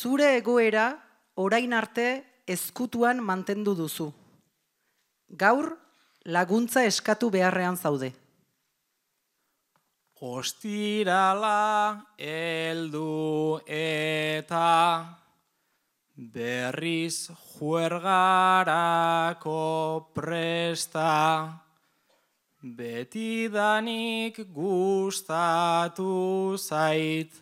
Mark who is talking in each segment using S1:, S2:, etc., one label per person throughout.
S1: Zure egoera orain arte ezkutuan mantendu duzu. Gaur laguntza eskatu beharrean zaude.
S2: Ostirala heldu eta berriz juergarako presta. Betidanik gustatu zait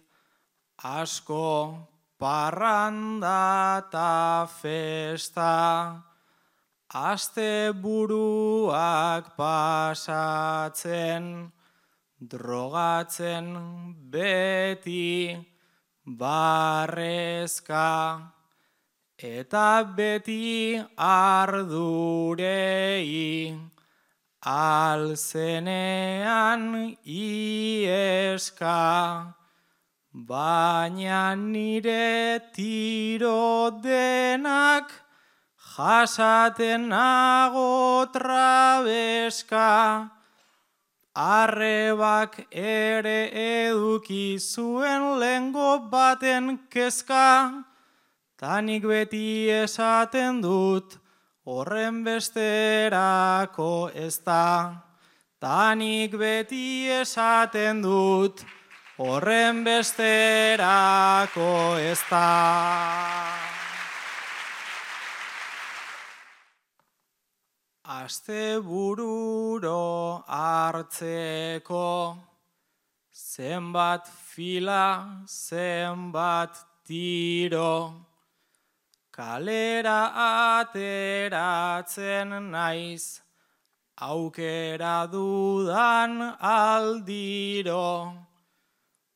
S2: asko parranda ta festa. Asteburuak pasatzen, drogatzen beti barrezka, eta beti ardurei alzenean ieska, baina nire tiro denak jasaten nago trabeska. Arrebak ere eduki zuen lehengo baten kezka, tanik beti esaten dut horren besterako ez da. Tanik beti esaten dut horren besterako ez da. Astebururo hartzeko zenbat fila, zenbat tiro, kalera ateratzen naiz, aukera dudan aldiro,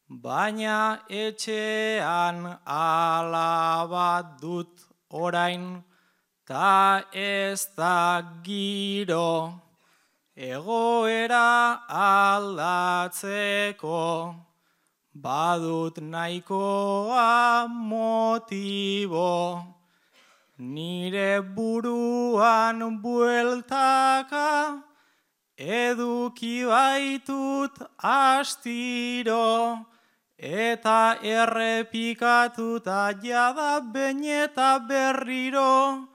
S2: baina etxean alabat dut orain, ta ez da giro, egoera aldatzeko, badut nahikoa motibo, nire buruan bueltaka, eduki baitut astiro, eta errepikatuta jada behin eta berriro,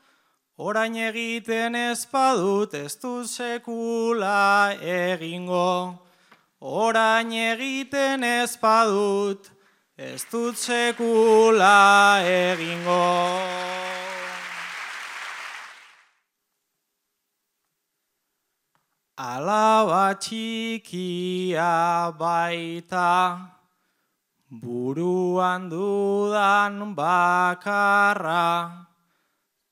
S2: orain egiten ez badut ez dut sekula egingo. Orain egiten ez badut ez dut sekula egingo. Alaba txikia baita, buruan dudan bakarra,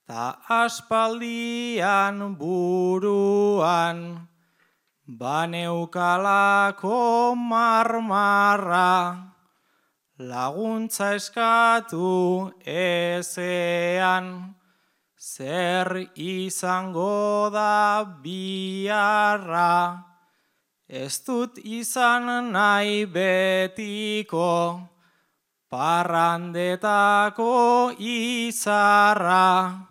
S2: ta aspaldian buruan baneukalako marmarra, laguntza eskatu ezean, zer izango da biharra. Ez dut izan nahi betiko parrandetako izarra,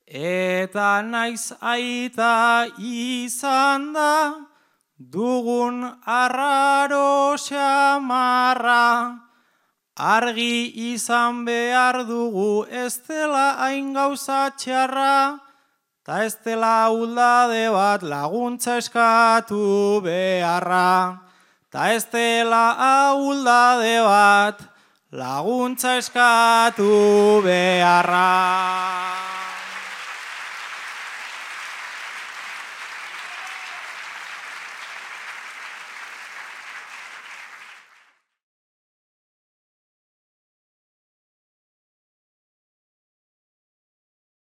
S2: eta naiz aita izan da dugun arraro xamarra. Argi izan behar dugu ez dela hain gauza txarra, ta ez dela ahuldade bat laguntza eskatu beharra. Ta ez dela ahuldade bat laguntza eskatu beharra.